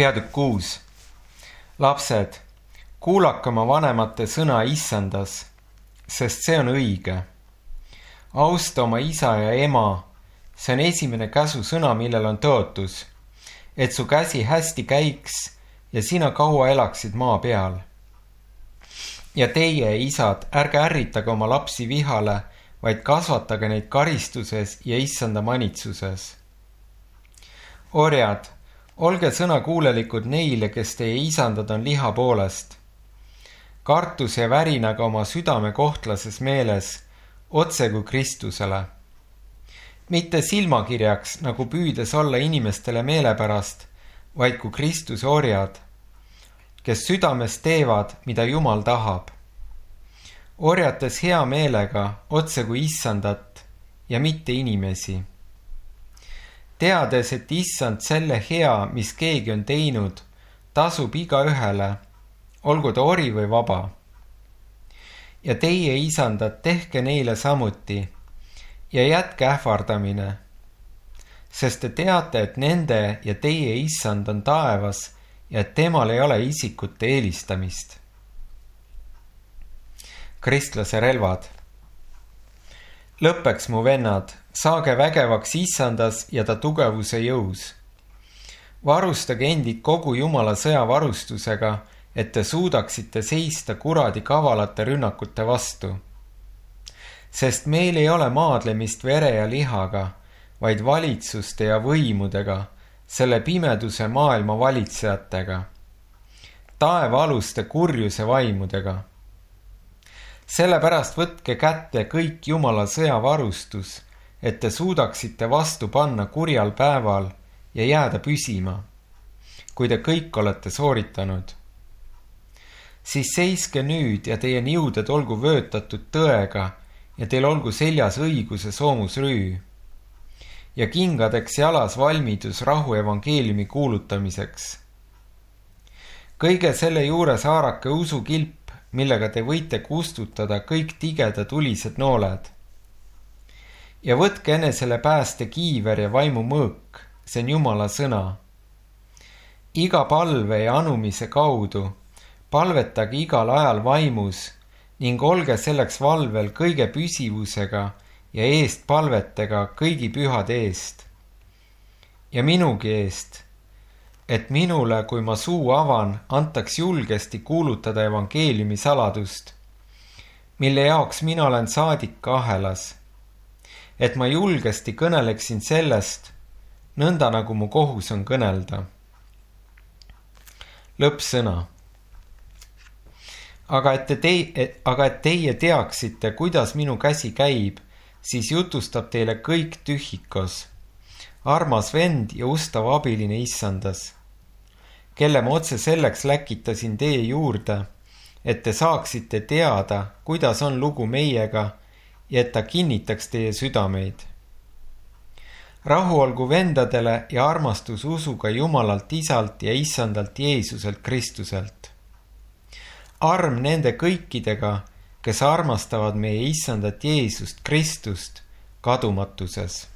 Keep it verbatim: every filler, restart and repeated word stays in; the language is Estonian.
Peatükk kuus. Lapsed, kuulake oma vanemate sõna issandas, sest see on õige. Austa oma isa ja ema, see on esimene käsu sõna, millel on tõotus, et su käsi hästi käiks ja sina kaua elaksid maa peal. Ja teie, isad, ärge ärritage oma lapsi vihale, vaid kasvatage neid karistuses ja issanda manitsuses. Orjad, olge sõnakuulelikud neile, kes teie isandad on liha poolest. Kartus ja värinaga oma südame kohtlases meeles, otse kui Kristusele. Mitte silmakirjaks, nagu püüdes olla inimestele meelepärast, vaid kui Kristuse orjad, kes südames teevad, mida Jumal tahab. Orjates hea meelega, otse kui issandat ja mitte inimesi. Teades, et issand selle hea, mis keegi on teinud, tasub iga ühele, olgu ta ori või vaba. Ja teie isandad, tehke neile samuti ja jätke ähvardamine, sest te teate, et nende ja teie issand on taevas ja et temal ei ole isikute eelistamist. Kristlase relvad. Lõppeks, mu vennad, saage vägevaks issandas ja ta tugevuse jõus. Varustage endid kogu Jumala sõjavarustusega, et te suudaksite seista kuradi kavalate rünnakute vastu. Sest meil ei ole maadlemist vere ja lihaga, vaid valitsuste ja võimudega, selle pimeduse maailma valitsejatega, taevaaluste kurjuse vaimudega. Sellepärast võtke kätte kõik Jumala sõjavarustus, et te suudaksite vastu panna kurjal päeval ja jääda püsima, kui te kõik olete sooritanud. Siis seiske nüüd ja teie niuded olgu vöötatud tõega ja teil olgu seljas õiguse soomusrüü ja kingadeks jalas valmidus rahu evangeeliumi kuulutamiseks. Kõige selle juures haarake usukilp, millega te võite kustutada kõik tigeda tulised nooled. Ja võtke enesele pääste kiiver ja vaimu mõõk, see on Jumala sõna. Iga palve ja anumise kaudu palvetage igal ajal vaimus ning olge selleks valvel kõige püsivusega ja eest palvetega kõigi pühade eest. Ja minugi eest, et minule, kui ma suu avan, antaks julgesti kuulutada evangeeliumi saladust, mille jaoks mina olen saadik ahelas, et ma julgesti kõneleksin sellest, nõnda nagu mu kohus on kõnelda. Lõppsõna. Aga et, te, aga et teie teaksite, kuidas minu käsi käib, siis jutustab teile kõik tühikos, armas vend ja ustav abiline issandas, kelle ma otse selleks läkitasin teie juurde, et te saaksite teada, kuidas on lugu meiega ja et ta kinnitaks teie südameid. Rahu olgu vendadele ja armastus usuga Jumalalt Isalt ja Issandalt Jeesuselt Kristuselt. Arm nende kõikidega, kes armastavad meie Issandat Jeesust Kristust kadumatuses.